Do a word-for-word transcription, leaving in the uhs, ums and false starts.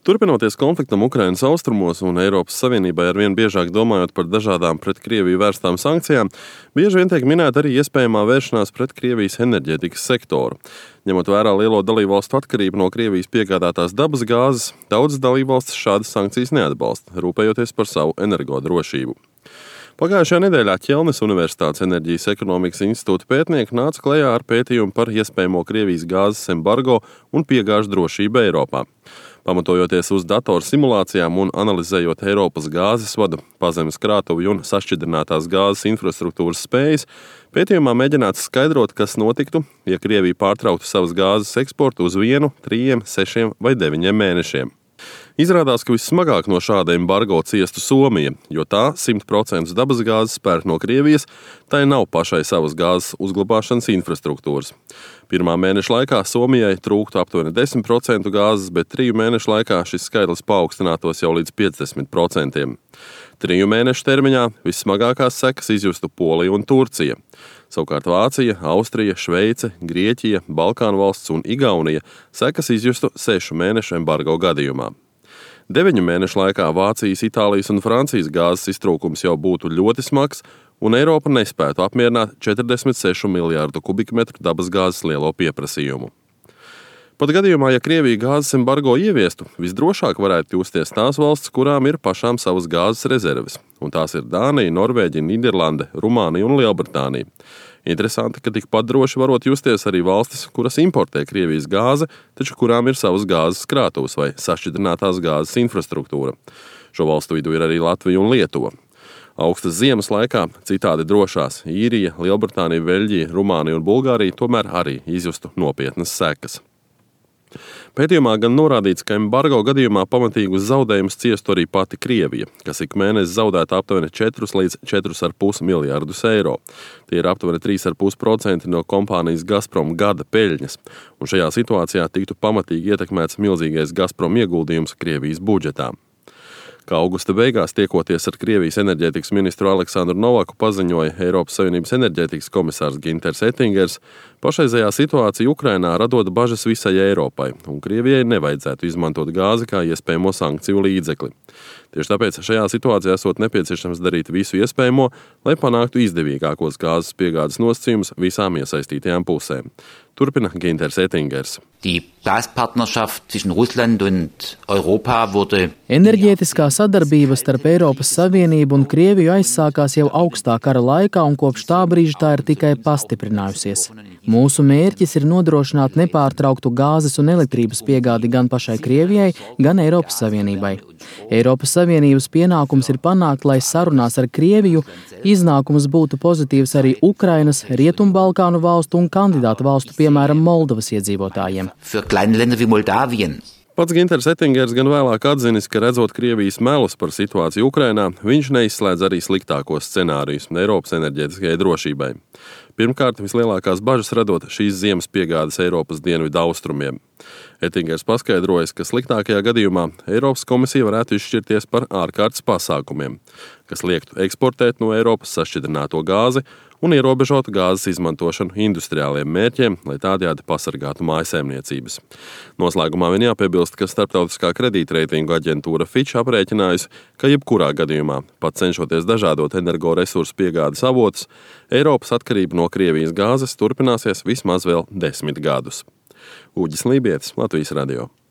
Turpinoties konfliktam Ukrainas austrumos un Eiropas Savienībai arvien biežāk domājot par dažādām pret Krieviju vērstām sankcijām, bieži vien tiek minēta arī iespējamā vēršanās pret Krievijas enerģētikas sektoru. Ņemot vērā lielo dalībvalstu atkarību no Krievijas piegādātās dabas gāzes, daudzas dalībvalstis šādas sankcijas neatbalsta, rūpējoties par savu energodrošību. Pagājušajā nedēļā Ķelnes Universitātes enerģijas ekonomikas institūta pētnieki nāca klajā ar pētījumu par iespējamo Krievijas gāzes embargo un piegāžu drošību Eiropā. Pamatojoties uz datoru simulācijām un analizējot Eiropas gāzes vadu, pazemes krātuvi un sašķidrinātās gāzes infrastruktūras spējas, pētījumā mēģināts skaidrot, kas notiktu, ja Krievija pārtrauktu savas gāzes eksportu uz vienu, trījiem, sešiem vai deviņiem mēnešiem. Izrādās, ka vissmagāk no šāda embargo ciestu Somija, jo tā simt procentu dabas gāzes pērk no Krievijas, tai nav pašai savas gāzes uzglabāšanas infrastruktūras. Pirmā mēneša laikā Somijai trūktu aptuveni desmit procentu gāzes, bet triju mēnešu laikā šis skaitlis paaugstinātos jau līdz piecdesmit procentiem. Triju mēnešu termiņā vissmagākās sekas izjustu Polija un Turcija. Savukārt Vācija, Austrija, Šveice, Grieķija, Balkānu valsts un Igaunija sekas izjustu sešu mēnešu embargo gadījumā. Deviņu mēnešu laikā Vācijas, Itālijas un Francijas gāzes iztrūkums jau būtu ļoti smags, un Eiropa nespētu apmierināt četrdesmit sešu miljārdu kubikmetru dabas gāzes lielo pieprasījumu. Pat gadījumā, ja Krievija gāzes embargo ieviestu, visdrošāk varētu justies tās valsts, kurām ir pašām savas gāzes rezerves, un tās ir Dānija, Norvēģija, Nīderlande, Rumānija un Lielbritānija. Interesanti, ka tikpat droši varot justies arī valstis, kuras importē Krievijas gāzi, taču kurām ir savas gāzes krātuves vai sašķidrinātās gāzes infrastruktūra. Šo valstu vidū ir arī Latvija un Lietuva. Augstas ziemas laikā citādi drošās Īrija, Lielbritānija, Beļģija, Rumānija un Bulgārija tomēr arī izjustu nopietnas sekas. Pētījumā gan norādīts, ka embargo gadījumā pamatīgus zaudējumus ciestu arī pati Krievija, kas ik mēnesi zaudētu aptuveni četrus līdz četrus ar pus miljārdus eiro. Tie ir aptuveni trīs ar pus procenti no kompānijas Gazprom gada peļņas, un šajā situācijā tiktu pamatīgi ietekmēts milzīgais Gazprom ieguldījums Krievijas budžetā. Kā augusta beigās tiekoties ar Krievijas enerģētikas ministru Aleksandru Novaku paziņoja Eiropas Savienības enerģētikas komisārs Ginters Ettingers, pašreizējā situācija Ukrainā radot bažas visai Eiropai, un Krievijai nevajadzētu izmantot gāzi kā iespējamo sankciju līdzekli. Tieši tāpēc šajā situācijā esot nepieciešams darīt visu iespējamo, lai panāktu izdevīgākos gāzes piegādes nosacījumus visām iesaistītajām pusēm. Turpina Ginters Ettingers. Die Gaspartnerschaft zwischen Russland und Europa wurde Enerģētiskā sadarbība starp Eiropas Savienību un Krieviju aizsākās jau augstā kara laikā, un kopš tā brīža tā ir tikai pastiprinājusies. Mūsu mērķis ir nodrošināt nepārtrauktu gāzes un elektrības piegādi gan pašai Krievijai, gan Eiropas Savienībai. Eiropas Savienības pienākums ir panākt, lai sarunās ar Krieviju iznākums būtu pozitīvs arī Ukrainas, Rietumbalkānu valstu un kandidātu valstu, piemēram, Moldovas iedzīvotājiem. für kleine Länder wie Moldawien. Pats Ginters Ettingers gan vēlāk atzinis, ka redzot Krievijas melus par situāciju Ukrainā, viņš neizslēdz arī sliktākos scenārijus Eiropas enerģētiskajai drošībai. Pirmkārt, vislielākās bažas radot šīs ziemas piegādes Eiropas dienvidu austrumiem. Ettingers paskaidrojas, ka sliktākajā gadījumā Eiropas komisija varētu izšķirties par ārkārtas pasākumiem, kas liektu eksportēt no Eiropas sašķidrināto gāzi un ierobežot gāzes izmantošanu industriāliem mērķiem, lai tādējādi pasargātu mājsaimniecības. Noslēgumā vien jāpiebilst, ka starptautiskā kredītreitingu aģentūra Fitch aprēķinājusi, ka jebkurā gadījumā, pat cenšoties dažādot energoresursu piegādes avotus, Eiropas atkarība no Krievijas gāzes turpināsies vismaz vēl desmit gadus. Uģis Lībietis, Latvijas radio.